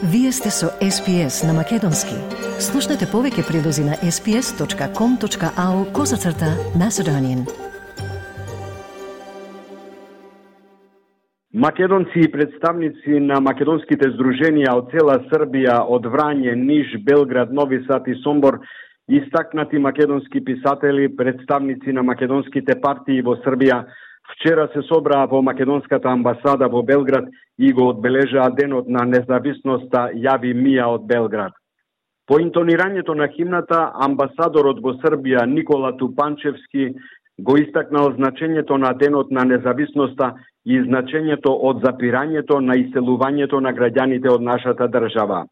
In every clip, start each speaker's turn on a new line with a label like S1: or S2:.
S1: Вие сте со SPS на Македонски. Слушнете повеќе прилози на sps.com.au/Macedonian.
S2: Македонци и представници на македонските здруженија од цела Србија, од Врање, Ниш, Белград, Нови Сад и Сомбор, истакнати македонски писатели, представници на македонските партии во Србија, вчера се собраа во македонската амбасада во Белград и го одбележаа денот на независноста Јави Мија од Белград. По интонирањето на химната, амбасадорот во Србија Никола Тупанчевски го истакнал значењето на денот на независноста и значењето од запирањето на иселувањето на граѓаните од нашата држава.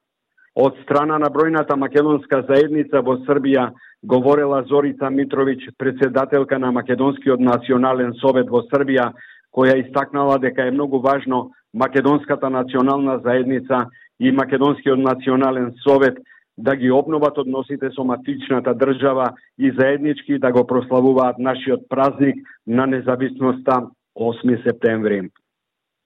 S2: Од страна на бројната македонска заедница во Србија говорела Зорица Митровиќ, председателка на Македонскиот национален совет во Србија, која истакнала дека е многу важно Македонската национална заедница и Македонскиот национален совет да ги обноват односите со матичната држава и заеднички да го прославуваат нашиот празник на независноста 8 септември.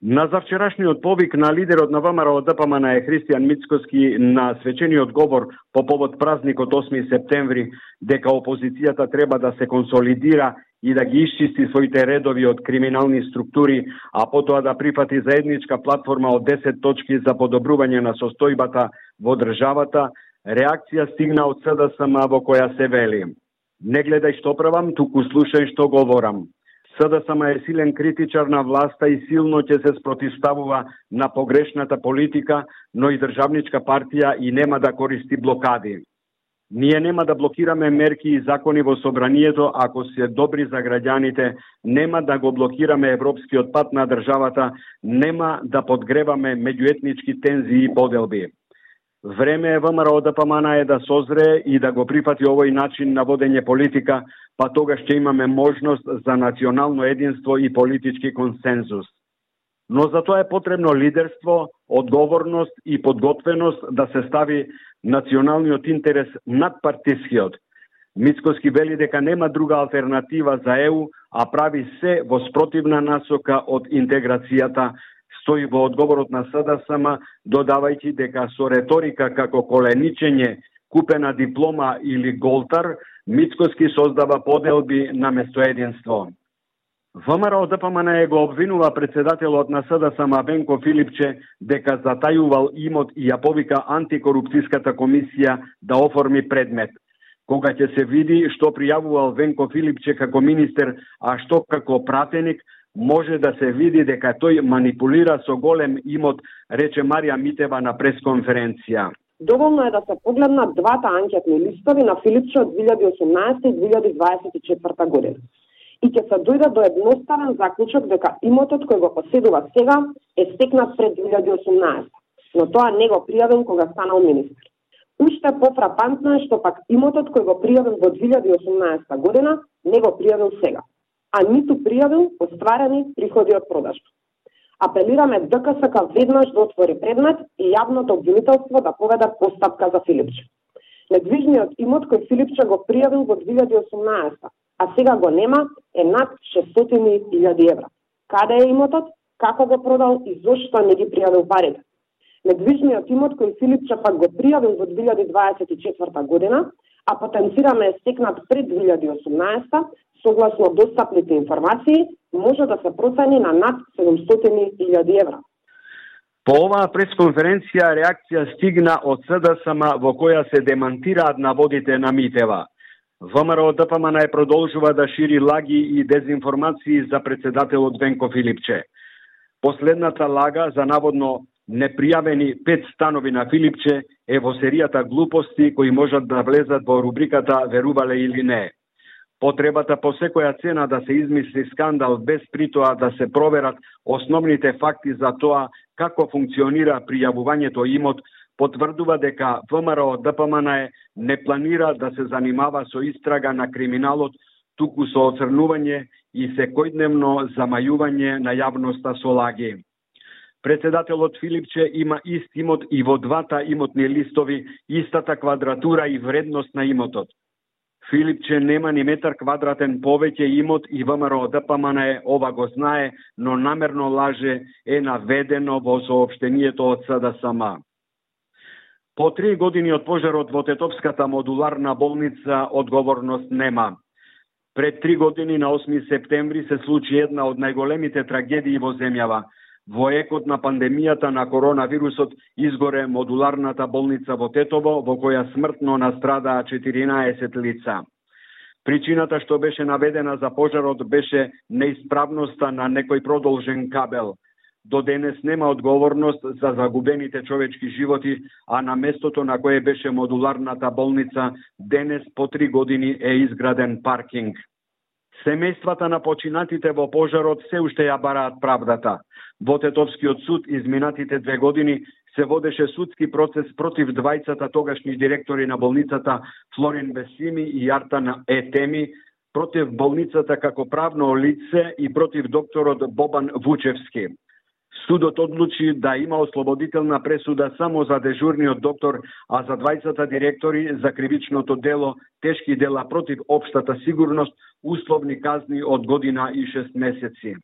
S2: На завчерашниот повик на лидерот на ВМРО ДПМН Христијан Мицкоски на свечениот говор по повод празникот 8 септември дека опозицијата треба да се консолидира и да ги исчисти своите редови од криминални структури, а потоа да прифати заедничка платформа од 10 точки за подобрување на состојбата во државата, реакција стигна од СДСМ во која се вели: не гледај што правам, туку слушај што говорам. СДСМ е силен критичар на власта и силно ќе се спротивставува на погрешната политика, но и државничка партија и нема да користи блокади. Ние нема да блокираме мерки и закони во собранието ако се добри за граѓаните, нема да го блокираме европскиот пат на државата, нема да подгреваме меѓуетнички тензии и поделби. Време е ВМРО ДПМН да созре и да го прифати овој начин на водење политика, па тогаш ќе имаме можност за национално единство и политички консензус. Но за тоа е потребно лидерство, одговорност и подготвеност да се стави националниот интерес над партискиот. Мицкоски вели дека нема друга алтернатива за ЕУ, а прави се во спротивна насока од интеграцијата, стои во одговорот на СДСМ, додавајќи дека со реторика како коленичење, купена диплома или голтар, Мицкоски создава поделби наместо единство. ВМРО ДПМН го обвинува председателот на СДСМ Венко Филипче дека затајувал имот и ја повика антикорупцијската комисија да оформи предмет. Кога ќе се види што пријавувал Венко Филипче како министер, а што како пратеник, може да се види дека тој манипулира со голем имот, рече Марија Митева на пресконференција.
S3: Доволно е да се погледнат двата анкетни листови на Филипче од 2018 и 2024 година. И ќе се дојде до едноставен заклучок дека имотот кој го поседува сега е стекнат пред 2018, но тоа не го пријавил кога станал министер. Уште пофрапантно е што пак имотот кој го пријавил во 2018 година не го пријавил сега, а ниту пријавил остварени приходи од продажба. Апелираме ДКСК веднаш да отвори предмет и јавното обвинителство да поведе постапка за Филипче. Недвижниот имот кој Филипче го пријавил во 2018, а сега го нема, е над 600.000 евра. Каде е имотот, како го продал и зошто не ги пријавил парите? Недвижниот имот кој Филипче пак го пријавил во 2024 година, а потенцираме е стекнат пред 2018, согласно достапните информации, може да се процени на над 700.000 евра.
S2: По оваа пресконференција реакција стигна од СДСМ во која се демантираат наводите на Митева. ВМРО ДПМН продолжува да шири лаги и дезинформации за председателот Венко Филипче. Последната лага за наводно непријавени 5 станови на Филипче е во серијата глупости кои можат да влезат во рубриката верувале или не. Потребата по секоја цена да се измисли скандал без притоа да се проверат основните факти за тоа како функционира пријавувањето имот, потврдува дека ВМРО ДПМН не планира да се занимава со истрага на криминалот, туку со оцрнување и секојдневно замајување на јавноста со лаги. Председателот Филипче има ист имот и во двата имотни листови, истата квадратура и вредност на имотот. Филипче нема ни метар квадратен повеќе имот и ВМРО ДПМН ова го знае, но намерно лаже, е наведено во соопштението од СДСМ. По 3 години од пожарот во Тетовската модуларна болница одговорност нема. Пред 3 години на 8 септември се случи една од најголемите трагедии во земјава. Во екот на пандемијата на коронавирусот изгоре модуларната болница во Тетово, во која смртно настрадаа 14 лица. Причината што беше наведена за пожарот беше неисправноста на некој продолжен кабел. До денес нема одговорност за загубените човечки животи, а на местото на кое беше модуларната болница, денес по 3 години е изграден паркинг. Семејствата на починатите во пожарот се уште ја бараат правдата. Во Тетовскиот суд изминатите 2 години се водеше судски процес против двајцата тогашни директори на болницата Флорин Бесими и Артан Етеми, против болницата како правно лице и против докторот Бобан Вучевски. Судот одлучи да има ослободителна пресуда само за дежурниот доктор, а за двајцата директори за кривичното дело, тешки дела против општата сигурност, условни казни од година и 6 месеци.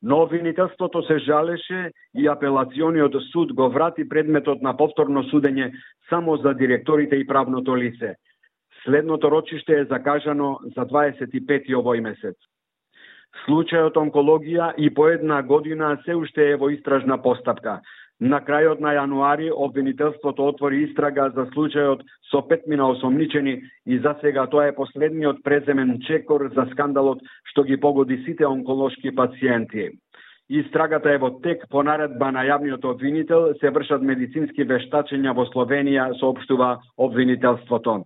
S2: Но обвинителството се жалеше и апелациониот суд го врати предметот на повторно судење само за директорите и правното лице. Следното рочиште е закажано за 25 овој месец. Случајот онкологија и по 1 година се уште е во истражна постапка. На крајот на јануари обвинителството отвори истрага за случајот со 5 осомничени и за сега тоа е последниот преземен чекор за скандалот што ги погоди сите онколошки пациенти. Истрагата е во тек. По наредба на јавниот обвинител се вршат медицински вештачења во Словенија, соопштува обвинителството.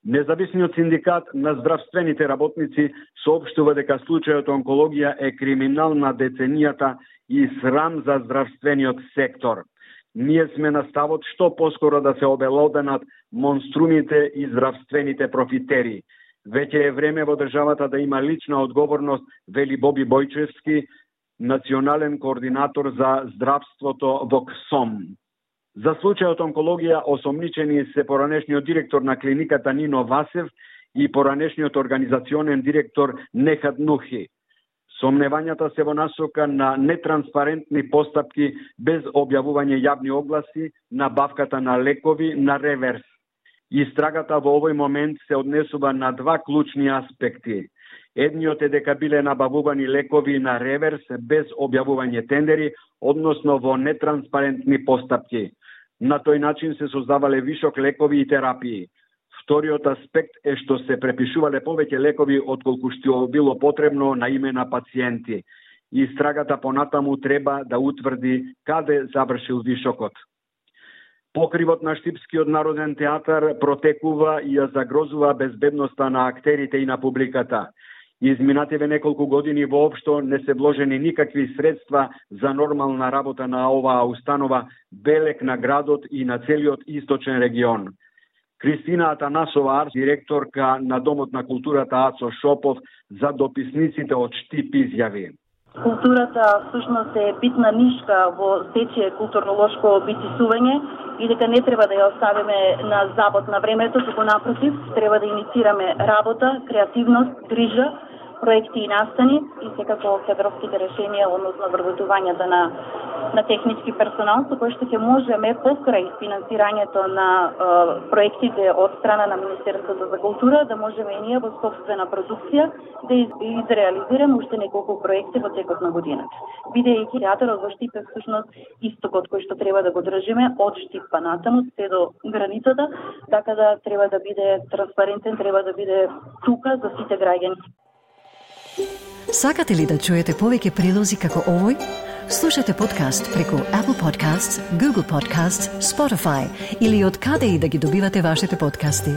S2: Независниот синдикат на здравствените работници соопштува дека случајот онкологија е криминал на деценијата и срам за здравствениот сектор. Ние сме на ставот што поскоро да се обелоденат монструмите и здравствените профитери. Веќе е време во државата да има лична одговорност, вели Боби Бојчевски, национален координатор за здравството во КСОМ. За случајот онкологија осомничени се поранешниот директор на клиниката Нино Васев и поранешниот организационен директор Нехат Нухи. Сомневањата се во насока на нетранспарентни постапки без објавување јавни огласи, набавката на лекови на реверс. Истрагата во овој момент се однесува на 2 клучни аспекти. Едниот е дека биле набавувани лекови на реверс без објавување тендери, односно во нетранспарентни постапки. На тој начин се создавале вишок лекови и терапии. Вториот аспект е што се препишувале повеќе лекови отколку што било потребно на име на пациенти. Истрагата понатаму треба да утврди каде завршил вишокот. Покривот на Штипскиот народен театар протекува и ја загрозува безбедноста на актерите и на публиката. Изминативе неколку години воопшто не се вложени никакви средства за нормална работа на оваа установа, белек на градот и на целиот источен регион. Кристина Атанасова, директорка на Домот на културата Ацо Шопов, за дописниците од Штип изјави.
S4: Културата всушност е битна нишка во сечие културно-лошко битисување и дека не треба да ја оставиме на забот на времето, туку напротив, треба да иницираме работа, креативност, грижа, проекти и настани и секако кадровските решенија, односно вработувањето на технички персонал, со кој што ќе можеме покрај финансирањето на проектите од страна на Министерството за култура, да можеме и ние во собствена продукција да изреализираме уште неколку проекти во текот на годината. Бидејќи театарот во Штип е всушност истокот кој што треба да го држиме од Штип па натаму се до границата, така да треба да биде транспарентен, треба да биде тука за сите граѓани.
S1: Сакате ли да чуете повеќе прилози како овој? Слушате подкаст преку Apple Podcasts, Google Podcasts, Spotify или од каде и да ги добивате вашите подкасти.